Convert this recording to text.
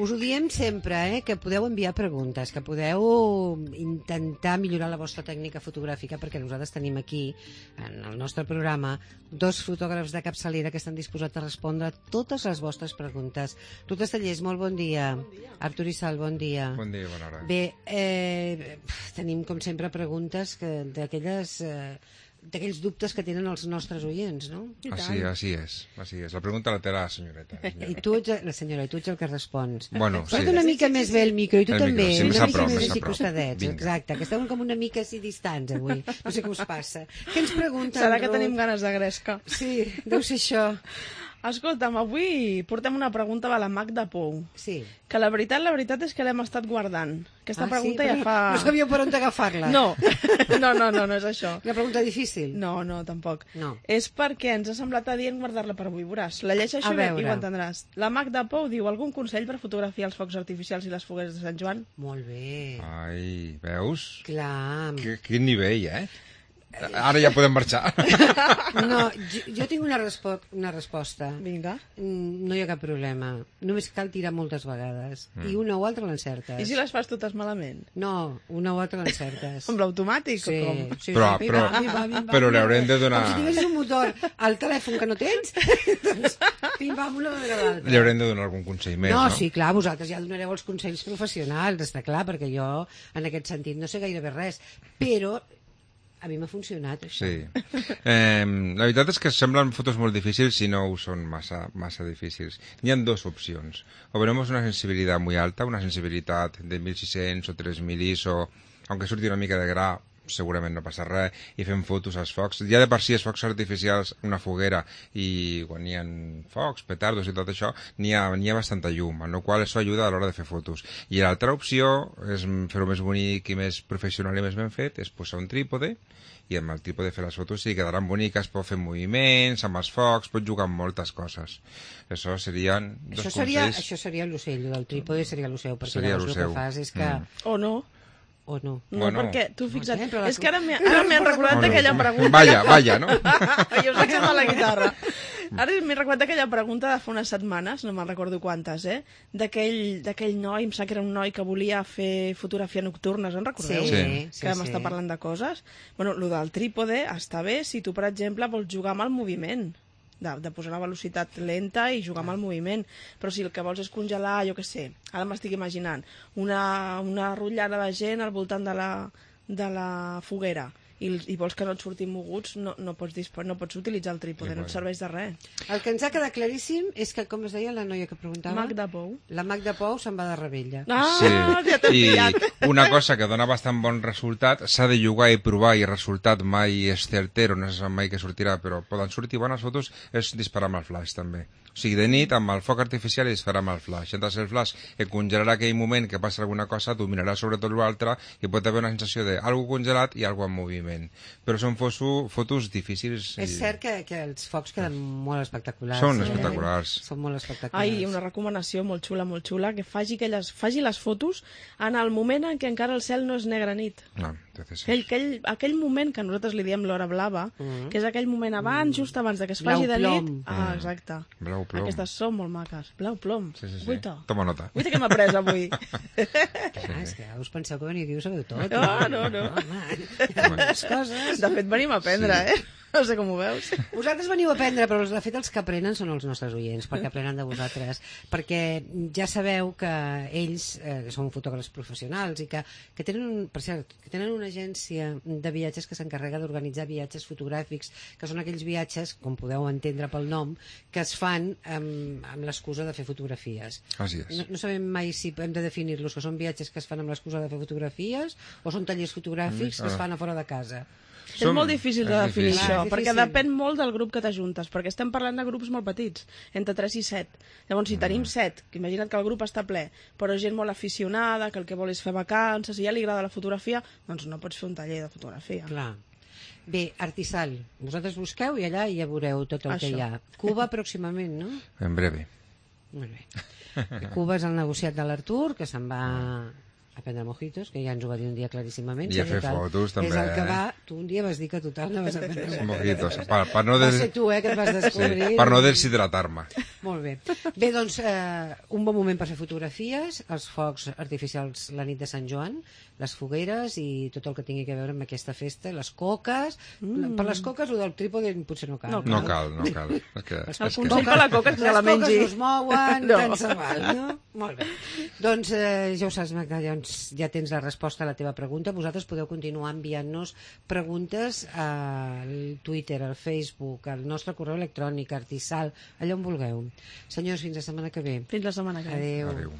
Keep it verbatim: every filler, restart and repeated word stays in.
Us ho diem sempre, eh, que podeu enviar preguntes, que podeu intentar millorar la vostra tècnica fotogràfica, perquè nosaltres tenim aquí, en el nostre programa, dos fotògrafs de capçalera que estan disposats a respondre a totes les vostres preguntes. Ruth Estellés, molt bon dia. Bon dia. Artur Isal, bon dia. Bon dia, bona hora. Bé, eh, tenim, com sempre, preguntes que, d'aquelles... Eh, d'aquells dubtes que tenen els nostres oients, no? Així, així és, així és. La pregunta la té la senyoreta. I tu ets, la senyora, i tu ets el que respons. Bueno, sí. Posa't una mica més bé el micro, i tu el també, micro, sí, una mica prop, més així prop. costadets, exacte, que esteu com una mica així distants avui. No sé què us passa. Què ens pregunten, Serà que Ruth? tenim ganes de gresca. Sí, deu ser això. Escolta'm, avui portem una pregunta de la Magda Pou. Sí. Que la veritat, la veritat és que l'hem estat guardant. Aquesta Ah, pregunta sí? ja Però fa... No sabíeu per on agafar-la. No, no, no, no, no és això. Una pregunta difícil. No, no, tampoc. No. És perquè ens ha semblat adient guardar-la per avui. Veuràs, la llegeixo A bé veure. i ho entendràs. La Magda Pou diu: algun consell per fotografiar els focs artificials i les fogueres de Sant Joan? Molt bé. Ai, veus? Clar. Qu- Quin nivell, eh? Ara ja podem marxar. No, jo, jo tinc una, respo una resposta. Vinga. Mm, No hi ha cap problema. Només cal tirar moltes vegades. Mm. I una o altra l'encertes. I si les fas totes malament? No, una o altra l'encertes. Amb l'automàtic Sí, o com? sí, Però- sí, però- pim, pam, pim, pam, pim, pam, però li pim, haurem de pam. donar- Com si tinguessis un motor al telèfon que no tens, doncs pim, pam, una darrere l'altra. Li haurem de donar algun consell més, No, no? sí, clar, vosaltres ja donareu els consells professionals, està clar, perquè jo, en aquest sentit, no sé gairebé res, però a mi m'ha funcionat, això. Sí. Eh, la veritat és que semblen fotos molt difícils si no ho són massa, massa difícils. Hi ha dos opcions. O tenemos una sensibilidad muy alta, una sensibilitat de mil sis-cents o tres mil I S O, aunque surti una mica de gra, segurament no passa res, i fem fotos als focs. Ja de per si els focs artificials, una foguera, i quan hi ha focs, petardos i tot això, n'hi ha, n'hi ha bastanta llum, amb la qual cosa això ajuda a l'hora de fer fotos. I l'altra opció és fer-ho més bonic i més professional i més ben fet, és posar un trípode, i amb el trípode fer les fotos sí quedaran boniques, pot fer moviments, amb els focs, pot jugar amb moltes coses. Això serien dos Això seria, consells. això seria l'ocell, el trípode seria l'ocell, perquè Seria llavors el l'ocell. que fas és que... Mm. O no? O no. No, Bueno. perquè tu fixa't, sempre la- és que ara m'he ara m'he recordat O no. d'aquella pregunta... Vaya, vaya, no? Jo us vaig la guitarra. Ara m'he recordat d'aquella pregunta de fa unes setmanes, no me'n recordo quantes, eh? D'aquell d'aquell noi, em sap que era un noi que volia fer fotografia nocturna, en recordeu? Sí, Sí. sí, Que vam sí. estar parlant de coses. Bueno, el del trípode està bé si tu, per exemple, vols jugar amb el moviment. De, de posar la velocitat lenta i jugar amb el moviment. Però si el que vols és congelar, jo què sé, ara m'estic imaginant, una, una rotllana de gent al voltant de la, de la foguera i, i vols que no et surtin moguts, no, no, pots, dispo- no pots utilitzar el trípode, Sí, no bueno. et serveix de res. El que ens ha quedat claríssim és que, com es deia la noia que preguntava? Magda Pou. La Magda Pou se'n va de rebella. Ah, Sí, ja t'he i pillat. una cosa que dona bastant bon resultat, s'ha de jugar i provar, i el resultat mai és certero, no se sap mai que sortirà, però poden sortir bones fotos, és disparar amb el flash també. O sigui, de nit, amb el foc artificial i disparar amb el flash. Entres el flash et congelarà aquell moment que passa alguna cosa, tu miraràs sobre tot l'altre i pot haver una sensació d'algú congelat i algú en moviment. Però són fotos, fotos difícils. I... És cert que, que els focs queden molt espectaculars. Són eh? espectaculars. Són molt espectaculars. Ai, una recomanació molt xula, molt xula, que faci, aquelles, faci les fotos en el moment en què encara el cel no és negra nit. No, entonces... Aquell, aquell, aquell moment que nosaltres li diem l'hora blava, Mm. que és aquell moment abans, just abans de que es Blau faci de nit. plom. Ah, exacte. Blau plom. Aquestes són molt maques. Blau plom. Sí, sí, sí. Guaita. Toma nota. Guaita que m'ha pres avui. Clar, és que us penseu que veniu aquí i ho sabeu tot. No, no, no. Home, moltes coses. De fet, venim a aprendre, Sí. eh? No sé com ho veus. Vosaltres veniu a aprendre, però de fet els que aprenen són els nostres oients, perquè aprenen de vosaltres. Perquè ja sabeu que ells eh, són fotògrafs professionals i que, que, tenen, un, per cert, que tenen una agència de viatges que s'encarrega d'organitzar viatges fotogràfics, que són aquells viatges, com podeu entendre pel nom, que es fan amb, amb l'excusa de fer fotografies. Així és. No, no sabem mai si hem de definir-los, que són viatges que es fan amb l'excusa de fer fotografies o són tallers fotogràfics que es fan a fora de casa. És molt difícil de és definir difícil. això, Clar, és perquè difícil. depèn molt del grup que t'ajuntes, perquè estem parlant de grups molt petits, entre tres i set. Llavors, si tenim set, que imagina't que el grup està ple, però gent molt aficionada, que el que vol és fer vacances, i ja li agrada la fotografia, doncs no pots fer un taller de fotografia. Clar. Bé, Artisal, vosaltres busqueu i allà ja veureu tot el Això. que hi ha. Cuba pròximament, no? En breve. Molt bé. Cuba és el negociat de l'Artur, que se'n va... a prendre mojitos, que ja ens ho va dir un dia claríssimament. I a fer total, fotos, també, És el que eh? va... Tu un dia vas dir que total anaves a prendre Mojitos, per, per no Va des... ser tu, eh, que et vas descobrir. sí, per no deshidratar-me. Molt bé. Bé, doncs, eh, un bon moment per fer fotografies, els focs artificials la nit de Sant Joan, les fogueres i tot el que tingui a veure amb aquesta festa, les coques... Mm. Per les coques, el del trípode potser no cal. No No cal, no cal. És que, El és que... consell per la coca és que se la mengi. Les coques no es mouen, No. tant se val, no? Molt bé. Doncs eh, ja ho saps, Magda, doncs ja tens la resposta a la teva pregunta. Vosaltres podeu continuar enviant-nos preguntes al Twitter, al Facebook, al nostre correu electrònic, artisal, allà on vulgueu. Senyors, fins la setmana que ve. Fins la setmana que ve. Adéu. Adéu.